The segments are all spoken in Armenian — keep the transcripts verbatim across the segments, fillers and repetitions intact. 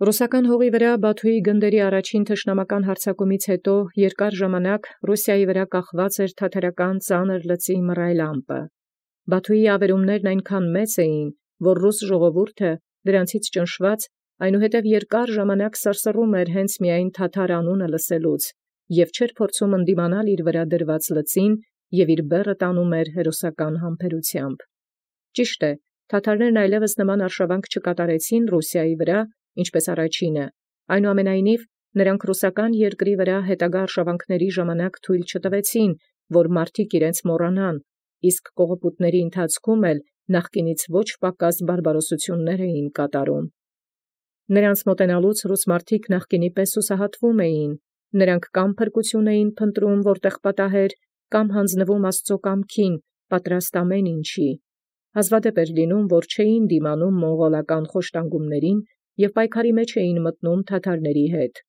Ռուսական հողի վրա Բաթուի գնդերի առաջին թշնամական հարձակումից յետո երկար ժամանակ Ռուսիայի վրա կախված էր թաթարական ծանր լծի մռայլ ամպը։ Բաթուի ավերումներն այնքան մեծ էին, որ ռուս ժողովուրդը դրանցից ճնշված այնուհետև երկար ժամանակ սարսռում էր հենց միայն թաթար անունը լսելուց, և չէր փորձում ընդդիմանալ իր վրա դրված լծին և իր բեռը տանում էր հերոսական համբերությամբ։ Ճիշտ է, թաթարներն այլևս նման արշավանք չկատարեցին Ռուսիայի վրա, ինչպես առաջինը, այնուամենայնիվ նրանք ռուսական երկրի վրա հետագա արշավանքների ժամանակ թույլ չտվեցին, որ մարդիկ իրենց մոռանան, իսկ կողոպուտների ընթացքում էլ նախկինից ոչ պակաս բարբարոսություններ էին կատարում։ Նրանց մոտենալուց ռուս մարդիկ նախկինի պես հուսահատվում էին, նրանք կամ փրկություն էին փնտրում, որտեղ պատահեր, կամ հանձնվում Աստծո կամքին, պատրաստ ամեն ինչի։ Հազվադեպ էր լինում, որ չէին դիմանում մոնղոլական խոշտանգումներին և պայքարի մեջ էին մտնում թաթարների հետ։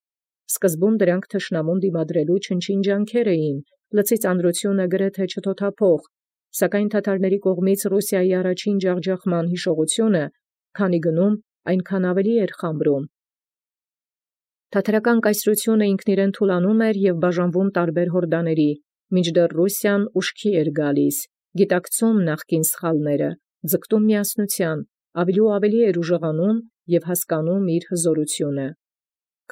Սկզբում դրանք թշնամուն դիմադրելու չնչին ջանքեր էին, լծի ծանրությունը գրեթե չթոթափող, սակայն թաթարների կողմից Ռուսիայի առաջին ջախջախման հիշողությունը, քանի գնում այնքան ավելի էր խամրում։ Թաթարական կայսրությունը ինքն իրեն թուլանում էր և բաժանվում տարբեր հորդաների, մինչդեռ Ռուսիան ուշքի էր գալիս, գիտակցում նախկին սխալները, ձգտում միասնության, ավելի ու ավելի էր ուժեղանում և հասկանում իր հզորությունը։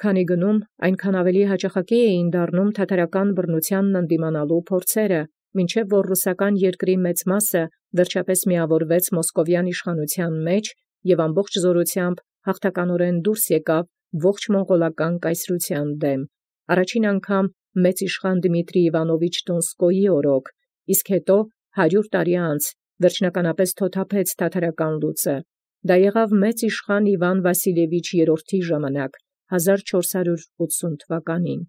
Քանի գնում այնքան ավելի հաճախակի էին դառնում թաթարական բռնությանն ընդդիմանալու փորձերը, մինչև որ ռուսական երկրի մեծ մասը վերջապես միավորվեց մոսկովյան իշխանության մեջ և ամբողջ զորությամբ հաղթականորեն դուրս եկավ ողջ մոնղոլական կայսրության դեմ, առաջին անգամ մեծ իշխան Դմիտրի Իվանովիչ Դոնսկոյի օրոք, իսկ հետո հարյուր տարի անց վերջնականապես թոթափեց թաթարական լուծը։ Դա եղավ մեծ իշխան Իվան Վասիլևիչ երրորդի ժամանակ, հազար չորս հարյուր ութսուն թվականին։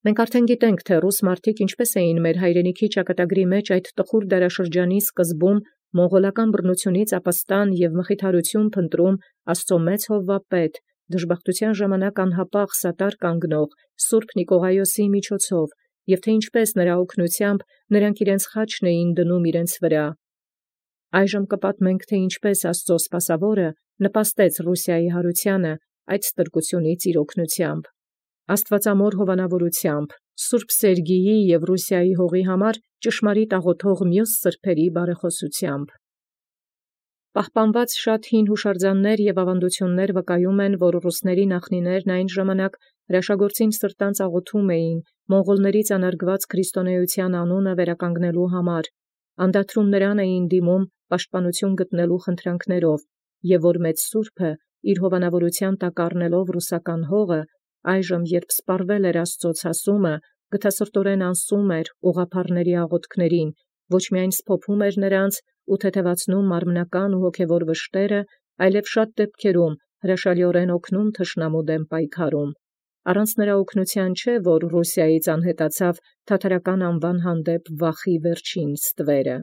Մենք արդեն գիտենք, թե ռուս մարդիկ ինչպես էին մեր հայրենիքի ճակատագրի մեջ այդ տխուր դարաշրջանի սկզբում մոնղոլական բռնությունից ապաստան և մխիթարություն փնտրում Աստծո մեծ հովվապետ, դժբախտության ժամանակ անհապաղ սատար կանգնող Սուրբ Նիկողայոսի միջոցով, և թե ինչպես նրա օգնությամբ նրանք իրենց խաչն էին դնում իրենց վրա։ Այժմ կպատմենք, թե ինչպես Աստծո սպասավորը նպաստեց Ռուսիայի հարությանը այդ ստրկությունից իր օգնությամբ։ Աստվածամոր հովանավորությամբ, Սուրբ Սերգիյի և Ռուսիայի հողի համար ճշմարիտ աղոթող մյուս սրբերի բարեխոսությամբ։ Պահպանված շատ հին հուշարձաններ և ավանդություններ վկայում են, որ ռուսների նախնիներն այն ժամանակ հրաշագործին սրտանց աղոթում էին մոնղոլներից անարգված քրիստոնեության անունը վերականգնելու համար, անդադրում նրան էին դիմում պաշտպանություն գտնելու խնդրանքներով, և որ մեծ Սուրբը իր հովանավորության տակ առնելով ռուսական հողը, այժմ երբ սպառվել էր Աստծո ցասումը, գթասրտորեն անսում էր ուղղափառների աղոթքներին, ոչ միայն սփոփում էր նրանց ու թեթևացնում մարմնական ու հոգևոր վշտերը, այլև շատ դեպքերում հրաշալիորեն օգնում թշնամու դեմ պայքարում։ Առանց նրա օգնության չէ, որ Ռուսիայից անհետացավ թաթարական անվան հանդեպ վախի վերջին ստվերը։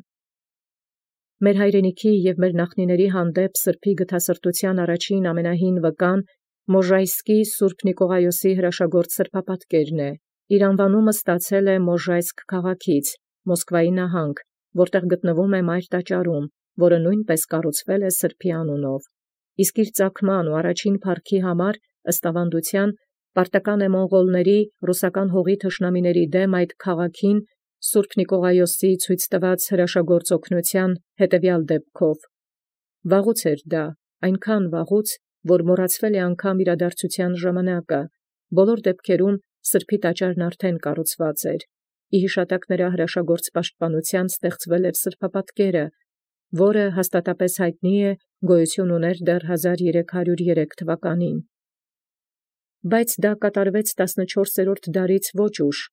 Մեր հայրենիքի և մեր նախնիների հանդեպ սրբի գթասրտության առաջին ամենահին վկան Մոժայսկի Սուրբ Նիկողայոսի հրաշագործ սրբապատկերն է։ Իր անվանումը ստացել է Մոժայսկ քաղաքից, Մոսկվայի նահանգ, որտեղ գտնվում է Մայր տաճարում, որը նույնպես կառուցվել է սրբի անունով։ Իսկ իր ծագման ու առաջին փառքի համար, ըստ ավանդության, պարտական է մոնղոլների ռուսական հողի թշնամիների դեմ այդ քաղաքին Սուրբ Նիկողայոսի ցույց տված հրաշագործ օգնության հետևյալ դեպքով։ Վաղուց էր դա, այնքան վաղուց, որ մոռացվել է անգամ իրադարձության ժամանակը, բոլոր դեպքերում սրբի տաճարն արդեն կառուցված էր։ Ի հիշատակ նրա հրաշագործ պաշտպանության ստեղծվել էր սրբապատկերը, որը հաստատապես հայտնի է, գոյություն ուներ դեռ հազար երեք հարյուր երեք թվականին։ Բայց դա կատարվեց տասնչորսերորդ դարից ոչ ուշ,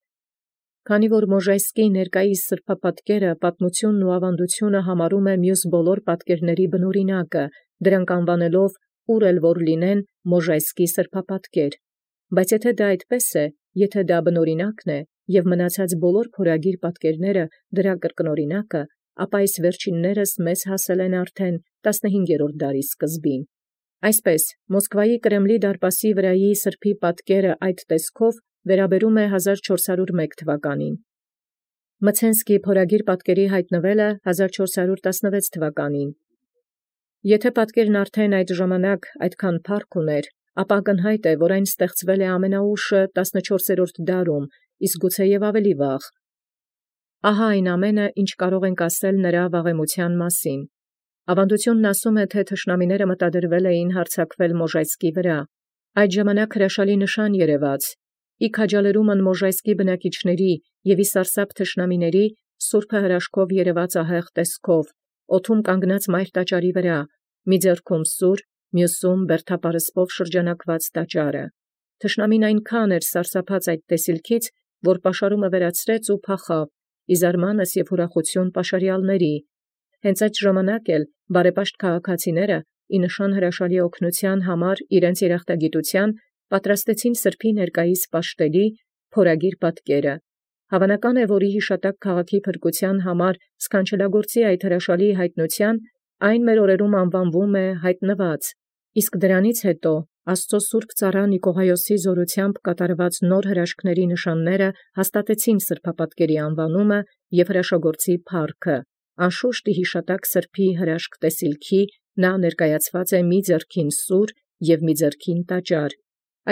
քանի որ Մոժայսկի ներկայիս սրբապատկերը պատմությունն ու ավանդությունը համարում է մյուս բոլոր պատկերների բնօրինակը, դրանք անվանելով ուր էլ որ լինեն Մոժայսկի սրբապատկեր։ Բայց եթե դա այդպես է, եթե դա բնօրինակն է, և մնացած բոլոր փորագիր պատկերները դրա կրկնօրինակը, ապա այս վերջիններս մեզ հասել են արդեն տասնհինգերորդ դարի սկզբին։ Այսպես, Մոսկվայի Կրեմլի դարպասի վրայի սրբի պատկերը այդ տեսքով վերաբերում է հազար չորս հարյուր մեկ թվականին։ Մցենսկի փորագիր պատկերի հայտնվելը հազար չորս հարյուր տասնվեց թվականին։ Եթե պատկերն արդեն այդ ժամանակ այդքան փառք ուներ, ապա ակնհայտ է, որ այն ստեղծվել է ամենաուշը տասնչորսերորդ դարում, իսկ գուցե և ավելի վաղ։ Ահա այն ամենը, ինչ կարող ենք ասել նրա վաղեմության մասին։ Ավանդությունն ասում է, թե թշնամիները մտադրվել էին հարձակվել Մոժայսկի վրա։ Այդ ժամանակ հրաշալի նշան երևաց։ Ի քաջալերումն Մոժայսկի բնակիչների և ի սարսափ թշնամիների սուրբը հրաշքով երևաց ահեղ տեսքով, օդում կանգնած մայր տաճարի վրա, մի ձեռքում սուր, մյուսում բերդապարսպով շրջանակված տաճարը։ Թշնամին այնքան էր սարսափած այդ տեսիլքից, որ պաշարումը վերացրեց ու փախավ, ի զարմանս և ուրախություն պաշարյալների։ Հենց այդ ժամանակ էլ բարեպաշտ քաղաքացիները ի նշան հրաշալի օգնության համար իրենց երախտագիտության պատրաստեցին սրբոյ ներկայիս պաշտելի փորագիր պատկերը։ Հավանական է, որ ի հիշատակ քաղաքի փրկության համար սքանչելագործի այդ հրաշալի հայտնության այն մեր օրերում անվանվում է հայտնված, իսկ դրանից հետո Աստծո սուրբ ծառա Նիկողայոսի զորությամբ կատարված նոր հրաշքների նշանները հաստատեցին սրբապատկերի անվանումը և հրաշագործի փառքը։ Անշուշտ ի հիշատակ սրբոյ հրաշք տեսիլքի նա ներկայացված է մի ձեռքին սուր և մի ձեռքին տաճար։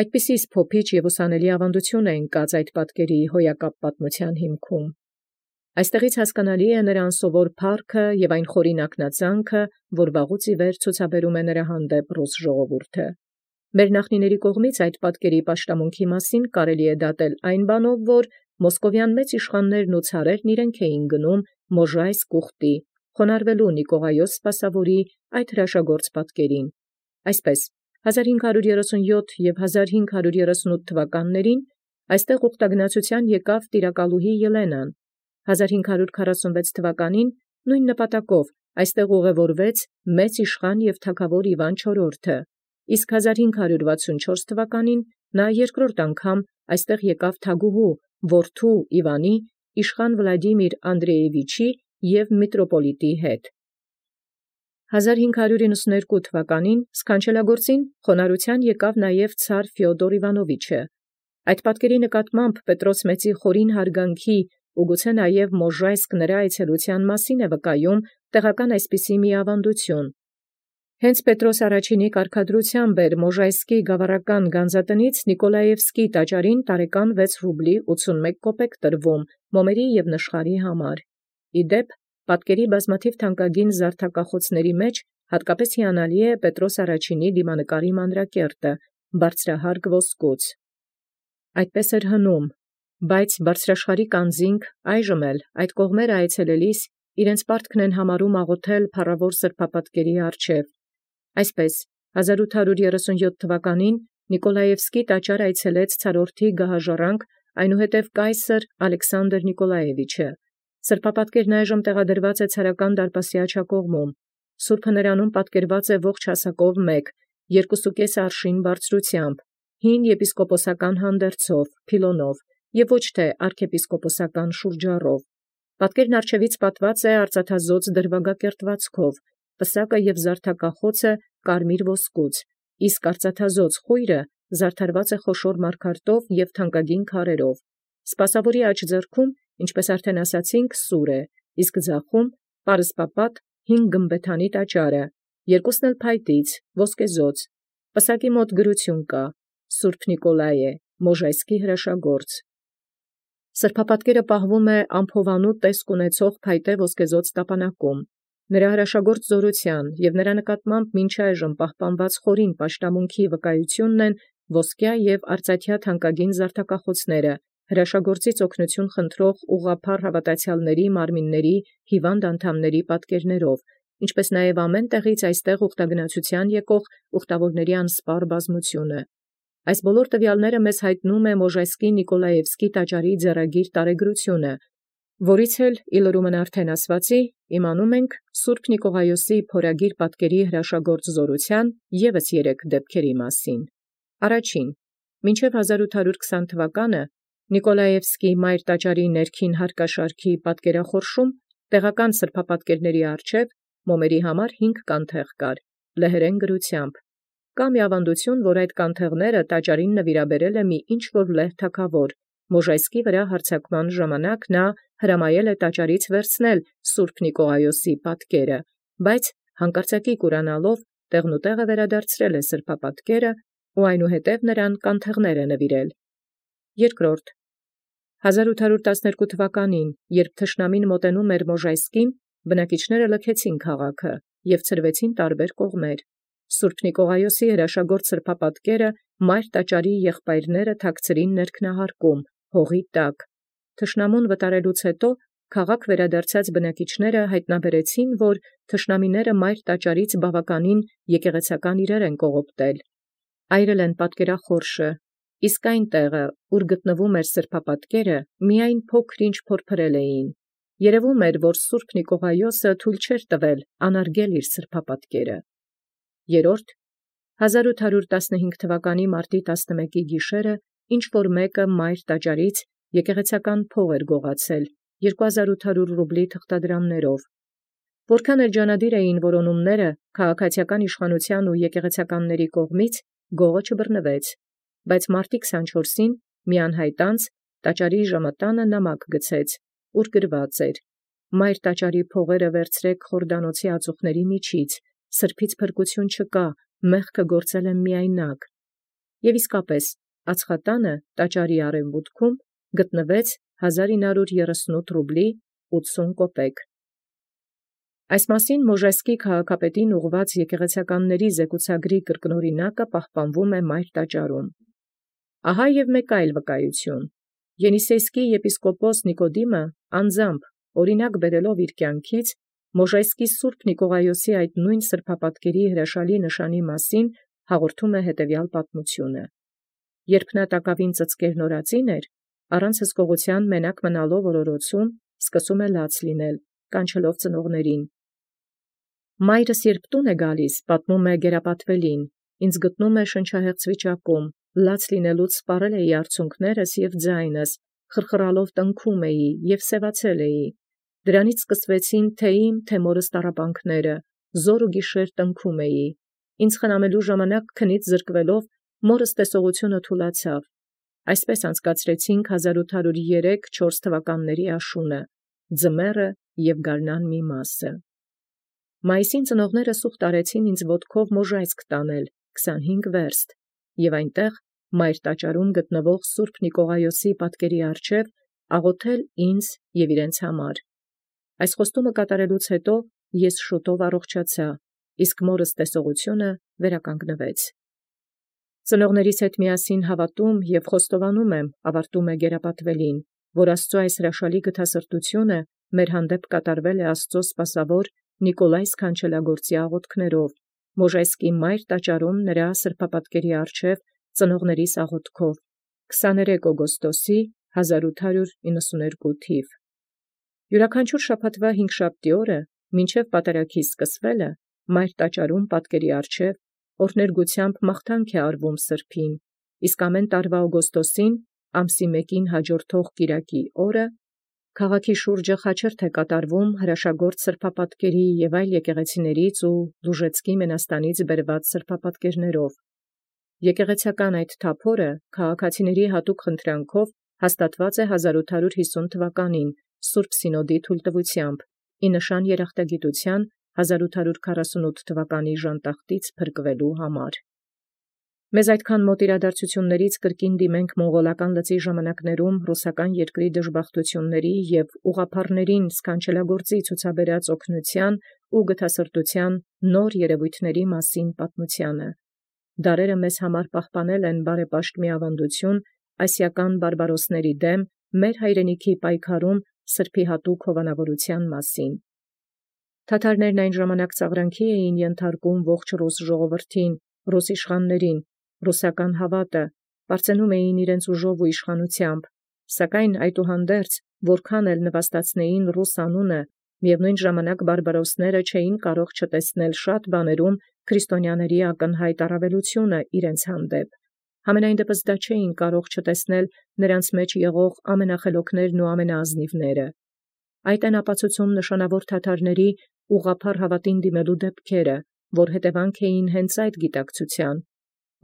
Այդպիսի սփոփիչ և ուսանելի ավանդություն է ընկած այդ պատկերի հոյակապ պատմության հիմքում։ Այստեղից հասկանալի է նրա անսովոր փառքը և այն խորին ակնածանքը, որ վաղուց ի վեր ցուցաբերում է նրա հանդեպ ռուս ժողովուրդը։ Մեր նախնիների կողմից այդ պատկերի պաշտամունքի մասին կարելի է դատել այն բանով, որ մոսկովյան մեծ իշխաններն ու ցարերն իրենք էին գնում Մոժայսկ ուխտի, խոնարհվելու Նիկողայոս սպասավորի այդ հրաշագործ պատկերին։ Այսպես, հազար հինգ հարյուր երեսունյոթ և հազար հինգ հարյուր երեսունութ թվականներին այստեղ ուխտագնացութեան եկավ տիրակալուհի Ելենան։ հազար հինգ հարյուր քառասունվեց թվականին նույն նպատակով այստեղ ուղևորվեց մեծ իշխան և թագավոր Իվան չորրորդը, իսկ հազար հինգ հարյուր վաթսունչորս թվականին նա երկրորդ անգամ այստեղ եկավ թագուհու, որդու Իվանի, իշխան Վլադիմիր Անդրեևիչի և միտրոպոլիտի հետ։ հազար հինգ հարյուր իննսունհերկու թվականին սքանչելագործին խոնարհութեան եկավ նաև ցար Ֆեոդոր Իվանովիչը։ Այդ պատկերի նկատմամբ Պետրոս Մեծի խորին հարգանքի ու գուցե նաև Մոժայսկ նրա այցելութեան մասին է վկայում տեղական այսպիսի մի ավանդություն։ Հենց Պետրոս առաջինի կարգադրութեամբ էր Մոժայսկի գավառական գանձատնից Նիկոլաևսկի տաճարին տարեկան վեց ռուբլի ութսունմեկ կոպեկ տրվում մոմերի և նշխարի համար։ Ի դեպ, պատկերի բազմաթիվ թանկագին զարդակախոցների մեջ հատկապես հիանալի է Պետրոս առաջինի դիմանկարի մանրակերտը, բարձրահարկ ոսկուց։ Այդպես էր հնում, բայց բարձրաշխարհիկ անձինք այժմ էլ այդ կողմերը այցելելիս իրենց պարտքն են համարում աղոթել փառավոր սրբապատկերի առջև։ Այսպես, հազար ութ հարյուր երեսունյոթ թվականին Նիկոլաևսկի տաճար այցելեց ցարորդի գահաժառանգ, այնուհետև կայսր Ալեքսանդր Նիկոլաևիչը։ Սրբապատկերն այժմ տեղադրված է ցարական դարպասի աջակողմում։ Սուրբը նրանում պատկերված է ողջ հասակով մեկ, երկուսուկես արշին բարձրությամբ, հին եպիսկոպոսական հանդերձով, փիլոնով և ոչ թե արքեպիսկոպոսական շուրջառով։ Պատկերն առջևից պատված է արծաթազօծ դրվագակերտվածքով, պսակը և զարդակախոցը կարմիր ոսկուց, իսկ արծաթազօծ խույրը զարդարված է խոշոր մարգարտով և թանկագին քարերով։ Սպասավորի աջ ձեռքում, ինչպես արդեն ասացինք, սուր է, իսկ ձախում պարսպապատ հինգ գմբեթանի տաճարը, երկուսն էլ փայտից, ոսկեզօծ։ Պսակի մոտ գրություն կա. Սուրբ Նիկոլայ է, Մոժայսկի հրաշագործ։ Սրբապատկերը պահվում է ամփովանու տեսք ունեցող փայտե ոսկեզօծ տապանակում։ Նրա հրաշագործ զորութեան և նրա նկատմամբ մինչ այժմ պահպանված խորին պաշտամունքի վկայությունն են ոսկյա և արծաթյա թանկագին զարդակախոցները, հրաշագործից օգնություն խնդրող ուղղափառ հավատացյալների մարմինների հիվանդ անդամների պատկերներով, ինչպես նաև ամեն տեղից այստեղ ուխտագնացութեան եկող ուխտավորների անսպառ բազմությունը։ Այս բոլոր տվյալները մեզ հայտնում է Մոժայսկի Նիկոլաևսկի տաճարի ձեռագիր տարեգրությունը, որից էլ ի լրումն արդեն ասվածի իմանում ենք Սուրբ Նիկողայոսի փորագիր պատկերի հրաշագործ զորութեան ևս երեք դեպքերի մասին։ Առաջին, մինչև հազար ութ հարյուր քսան թվականը Նիկոլաևսկի մայր տաճարի ներքին հարկաշարքի պատկերախորշում տեղական սրբապատկերների առջև մոմերի համար հինգ կանթեղ կար, լեհերեն գրությամբ։ Կա մի ավանդություն, որ այդ կանթեղները տաճարին նվիրաբերել է մի ինչ-որ լեհ թագավոր։ Մոժայսկի վրա հարձակման ժամանակ նա հրամայել է տաճարից վերցնել Սուրբ Նիկողայոսի պատկերը, բայց հանկարծակի կուրանալով տեղնուտեղը վերադարձրել է սրբապատկերը ու այնուհետև նրան կանթեղներ նվիրել։ Երկրորդ. հազար ութ հարյուր տասներկու թվականին, երբ թշնամին մոտենում էր Մոժայսկին, բնակիչները լքեցին քաղաքը և ցրվեցին տարբեր կողմեր։ Սուրբ Նիկողայոսի հրաշագործ սրբապատկերը մայր տաճարի եղբայրները թաքցրին ներքնահարկում, հողի տակ։ Թշնամուն վտարելուց հետո քաղաք վերադարձած բնակիչները հայտնաբերեցին, որ թշնամիները մայր տաճարից բավականին եկեղեցական իրեր են կողոպտել։ Այրել են պատկերախորշը, իսկ այն տեղը, ուր գտնվում էր սրբապատկերը, միայն փոքր-ինչ փորփրել էին։ Երևում էր, որ Սուրբ Նիկողայոսը թույլ չէր տվել անարգել իր սրբապատկերը։ Երորդ. հազար ութ հարյուր տասնհինգ թվականի մարտի տասնմեկի գիշերը ինչ որ մեկը մայր տաճարից եկեղեցական փող էր գողացել երկու հազար ութ հարյուր ռուբլի թղթադրամներով։ Որքան էրջանադիր էին որոնումները քաղաքացիական իշխանության ու եկեղեցականների կողմից, գողը չբռնվեց, բայց մարտի քսանչորսին մի անհայտ անձ տաճարի ժամատանը նամակ գցեց, ուր գրված էր. «Մայր տաճարի փողերը վերցրեք Խորդանոցի ածուխների միջից, սրբից փրկություն չկա, մեղքը գործել եմ միայնակ»։ Եւ իսկապես ածխատանը տաճարի արևմուտքում գտնվեց հազար ինը հարյուր երեսունութ ռուբլի ութսուն կոպեկ։ Այս մասին Մոժայսկի քաղաքապետին ուղված եկեղեցականների զեկուցագրի կրկնօրինակը պահպանվում է մայր տաճարում։ Ահա եւ մեկ այլ վկայություն։ Ենիսեյսկի եպիսկոպոս Նիկոդիմը անձամբ օրինակ բերելով իր կյանքից Մոժայսկի Սուրբ Նիկողայոսի այդ նույն սրբապատկերի հրաշալի նշանի մասին հաղորդում է հետևյալ պատմությունը։ Երբ նա տակավին ծծկեր նորածին էր, առանց հսկողության մենակ մնալով օրորոցում, սկսում է լաց լինել, կանչելով ծնողներին։ Մայրս երբ տուն է գալիս, պատմում է Գերապատվելին, ինձ գտնում է շնչահեղձ վիճակում, լաց լինելուց սպառել էի արցունքներս և ձայնս, խրխրալով տնքում էի և սևացել էի։ Դրանից սկսվեցին թե իմ, թե մորս տառապանքները, զոր ու գիշեր տնքում էի։ Ինձ խնամելու ժամանակ քնից զրկվելով մորս տեսողությունը թուլացավ։ Այսպես անցկացրեցինք հազար ութ հարյուր երեք չորս թվականների աշունը, ձմեռը և գարնան մի մասը։ Մայիսին ծնողները սուղտ արեցին ինձ ոտքով Մոժայսկ տանել քսանհինգ վերստ և այնտեղ մայր տաճարում գտնվող Սուրբ Նիկողայոսի պատկերի առջև աղոթել ինձ և իրենց համար։ Այս խոստումը կատարելուց հետո ես շուտով առողջացա, իսկ մորս տեսողությունը վերականգնվեց։ Ծնողներիս հետ միասին հավատում և խոստովանում եմ, ավարտում է Գերապատվելին, որ Աստծո այս հրաշալի գթասրտությունը մեր հանդեպ կատարվել է Աստծո սպասավոր Նիկոլայ Սքանչելագործի աղոթքներով, Մոժայսկի մայր տաճարում նրա սրբապատկերի առջև ծնողներիս աղոթքով, քսաներեք օգոստոսի հազար ութ հարյուր իննսուներկու թիվ։ Յուրաքանչյուր շաբաթվա հինգշաբթի օրը, մինչև պատարագի սկսվելը, մայր տաճարում պատկերի առջև օրհներգությամբ մաղթանք է արվում սրբին, իսկ ամեն տարվա օգոստոսին, ամսի մեկին հաջորդող կիրակի օրը, քաղաքի շուրջը խաչերթ է կատարվում հրաշագործ սրբապատկերի և այլ եկեղեցիներից ու Լուժեցկի մենաստանից բերված սրբապատկերներով։ Եկեղեցական այդ թափորը քաղաքացիների հատուկ խնդրանքով հաստատված է հազար ութ հարյուր հիսուն թվականին Սուրբ Սինոդի թույլտվությամբ, ի նշան երախտագիտության հազար ութ հարյուր քառասունութ թվականի ժանտախտից փրկվելու համար։ Մեզ այդքան մոտ իրադարձություններից կրկին դիմենք մոնղոլական լծի ժամանակներում ռուսական երկրի դժբախտությունների և ուղղափառներին Սքանչելագործի ցուցաբերած օգնության ու գթասրտության նոր երևույթների մասին պատմությանը։ Դարերը մեզ համար պահպանել են բարեպաշտ միավանդություն ասիական բարբարոսների դեմ մեր հայրենիքի պայքարում սրբի հատուկ հովանավորության մասին։ Թաթարներն այն ժամանակ ծաղրանքի էին ենթարկում ողջ ռուս ժողովրդին, ռուս իշխաններին, ռուսական հավատը, պարծենում էին իրենց ուժով ու իշխանությամբ, սակայն այդուհանդերձ, որքան էլ նվաստացնեին ռուս անունը, միևնույն ժամանակ բարբարոսները չէին կարող չտեսնել շատ բաներում քրիստոնյաների ակնհայտ առավելությունը իրենց հանդեպ։ Համենայն դեպս դա չէին կարող չտեսնել նրանց մեջ եղող ամենախելոքներն ու ամենաազնիվները։ Այդ են ապացուցում նշանավոր թաթարների ուղղափառ հավատին դիմելու դեպքերը, որ հետևանք էին հենց այդ գիտակցության։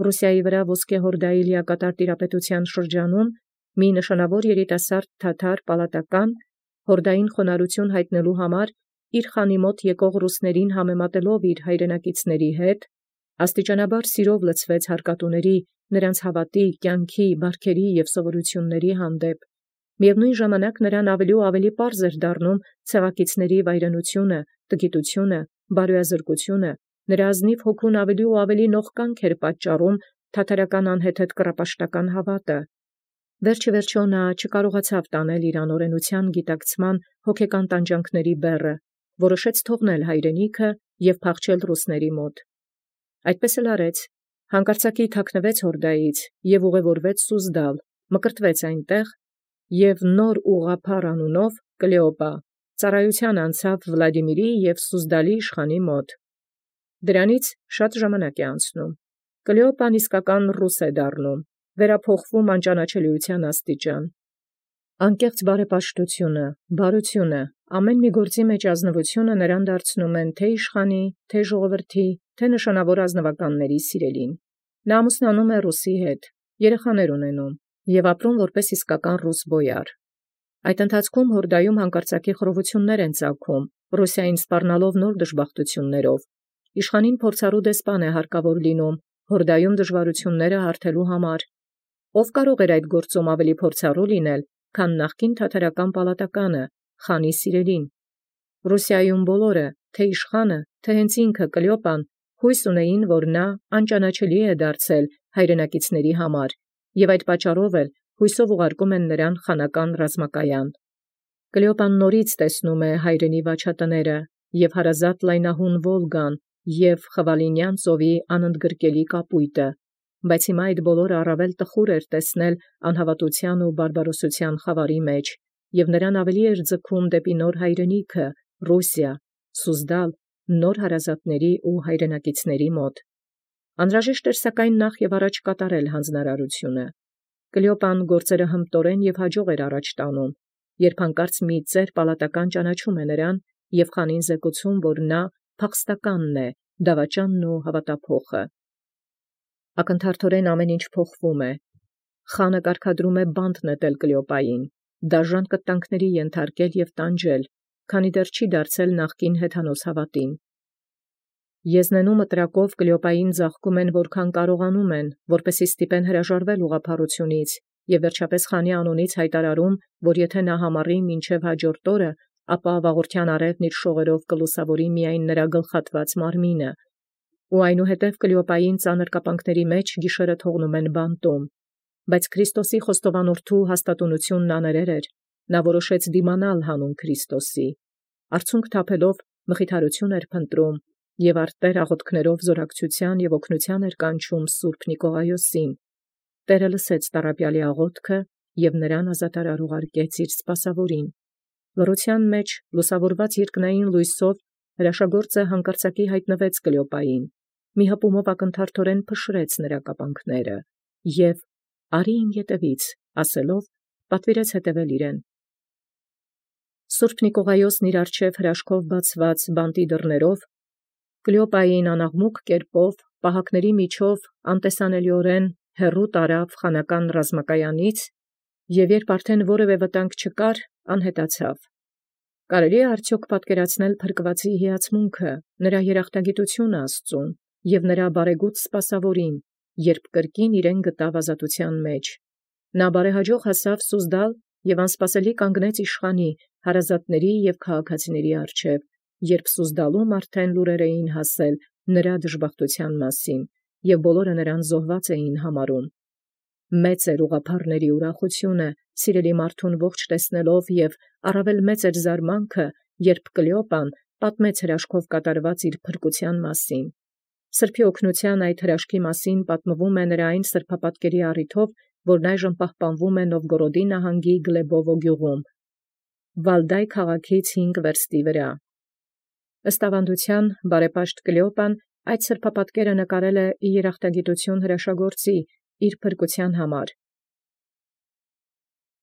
Ռուսիայի վրա ոսկե հորդայի լիակատար տիրապետության շրջանում մի նշանավոր երիտասարդ թաթար պալատական հորդային խոնարհություն հայտնելու համար իր խանի մոտ եկող ռուսներին համեմատելով իր հայրենակիցների հետ, Աստիճանաբար սիրով լցվեց հարկատուների, նրանց հավատի, կյանքի, բարքերի և սովորութիւնների հանդեպ։ Միևնույն ժամանակ նրան ավելի ու ավելի պարզ էր դառնում ցեղակիցների վայրենությունը, տգիտությունը, բարոյազրկությունը, նրա ազնիվ հոգուն ավելի ու ավելի նողկանք էր պատճառում թաթարական անհեթեթ կռապաշտական հավատը։ Վերջ ի վերջո նա չկարողացավ տանել իր անօրենության գիտակցման հոգեկան տանջանքների բեռը, որոշեց թողնել հայրենիքը և փախչել ռուսների մոտ։ Այդպես էլ արեց, հանկարծակի թաքնվեց հորդայից և ուղևորվեց Սուզդալ, մկրտվեց այնտեղ և նոր ուղղափառ անունով Կլեոպա ծառայության անցավ Վլադիմիրի և Սուզդալի իշխանի մոտ։ Դրանից շատ ժամանակ է անցնում։ Կլեոպան իսկական ռուս է դառնում, վերափոխվում անճանաչելիության աստիճան։ Անկեղծ բարեպաշտությունը, բարությունը, ամեն մի գործի մեջ ազնվությունը նրան դարձնում են թե իշխանի, թե ժողովրդի, թե նշանավոր ազնվականների սիրելին։ Նա ամուսնանում է ռուսի հետ, երեխաներ ունենում և ապրում որպես իսկական ռուս բոյար։ Այդ ընթացքում հորդայում հանկարծակի խռովություններ են ծագում, Ռուսիային սպառնալով նոր դժբախտություններով։ Իշխանին փորձառու դեսպան է հարկավոր լինում, հորդայում դժվարությունները հարթելու համար։ Ով կարող էր այդ գործում ավելի փորձառու լինել, քան նախկին թաթարական պալատականը, խանի սիրելին։ Ռուսիայում բոլորը, թե իշխանը, թե հենց ինքը Կլեոպան, հույս ունեին, որ նա անճանաչելի է դարձել հայրենակիցների համար, և այդ պատճառով էլ հույսով ուղարկում են նրան խանական ռազմակայան։ Կլեոպան նորից տեսնում է հայրենի վաչատները և հարազատ լայնահուն Վոլգան և Խվալինյան ծովի անընդգրկելի կապույտը, բայց հիմա այդ բոլորը առավել տխուր էր տեսնել անհավատության ու բարբարոսության խավարի մեջ, և նրան ավելի էր ձգում դեպի նոր հայրենիքը, Ռուսիա, Սուզդալ, նոր հարազատների ու հայրենակիցների մոտ։ Անհրաժեշտ էր սակայն նախ և առաջ կատարել հանձնարարությունը։ Կլեոպան գործերը հմտորեն և հաջող էր առաջ տանում, երբ հանկարծ մի ծեր պալատական ճանաչում է նրան և խանին զեկուցում, որ նա փախստականն է, դավաճանն ու հավատափոխը։ Ակնթարթորեն ամեն ինչ փոխվում է։ Խանը կարգադրում է բանտ նետել Կլեոպային, դաժան կտանքների ենթարկել և տանջել, քանի դեռ չի դարձել նախկին հեթանոս հավատին։ Եզնենու մտրակով Կլեոպային ձաղկում են որքան կարողանում են, որպեսզի ստիպեն հրաժարվել ուղղափառությունից, և վերջապես խանի անունից հայտարարում, որ եթե նա համառի մինչև հաջորդ օրը, ապա վաղորդյան արևն իր շողերով կլուսավորի միայն նրա գլխատված մարմինը։ Ու այնուհետև Կլեոպային ծանր կապանքների մեջ գիշերը թողնում են բանտում։ Բայց Քրիստոսի խոստովանորդու հաստատունությունն աներեր էր, նա որոշեց դիմանալ հանուն Քրիստոսի։ Արցունք թափելով մխիթարություն էր փնտրում և արտեր աղոթքներով զորակցության և օգնության էր կանչում Սուրբ Նիկողայոսին։ Տերը լսեց տառապյալի աղոթքը և նրան ազատարար ուղարկեց իր սպասավորին։ Լռության մեջ լուսավորված երկնային լույսով հրաշագործը հանկարծակի հայտնվեց Կլեոպային, մի հպումով ակնթարթորեն փշրեց նրա կապանքները և «Արի իմ ետևից» ասելով պատվիրեց հետևել իրեն։ Սուրբ Նիկողայոսն իր առջև հրաշքով բացված բանտի դռներով Կլեոպային անաղմուկ կերպով պահակների միջով անտեսանելիորեն հեռու տարավ խանական ռազմակայանից և երբ արդեն որևէ վտանգ չկար, անհետացավ։ Կարելի է արդյոք պատկերացնել փրկվածի հիացմունքը, նրա երախտագիտությունը Աստծուն և նրա բարեգութ սպասավորին, երբ կրկին իրեն գտավ ազատության մեջ։ Նա բարեհաջող հասավ Սուզդալ և անսպասելի կանգնեց իշխանի, հարազատների և քաղաքացիների առջև, երբ Սուզդալում արդեն լուրեր էին հասել նրա դժբախտության մասին, և բոլորը նրան զոհված էին համարում։ Մեծ էր ուղղափառների ուրախությունը, սիրելի մարդուն ողջ տեսնելով, և առավել մեծ էր զարմանքը, երբ Կլեոպան պատմեց հրաշքով կատարված իր փրկության մասին։ Սրբի օգնության այդ հրաշքի մասին պատմվում է նրա այն սրբապատկերի առիթով, որն այժմ պահպանվում է Նովգորոդի նահանգի Գլեբովո գյուղում, Վալդայ քաղաքից հինգ վերստի վրա։ Ըստ ավանդության, բարեպաշտ Կլեոպան այդ սրբապատկերը նկարել է ի երախտագիտություն հրաշագործի իր փրկության համար,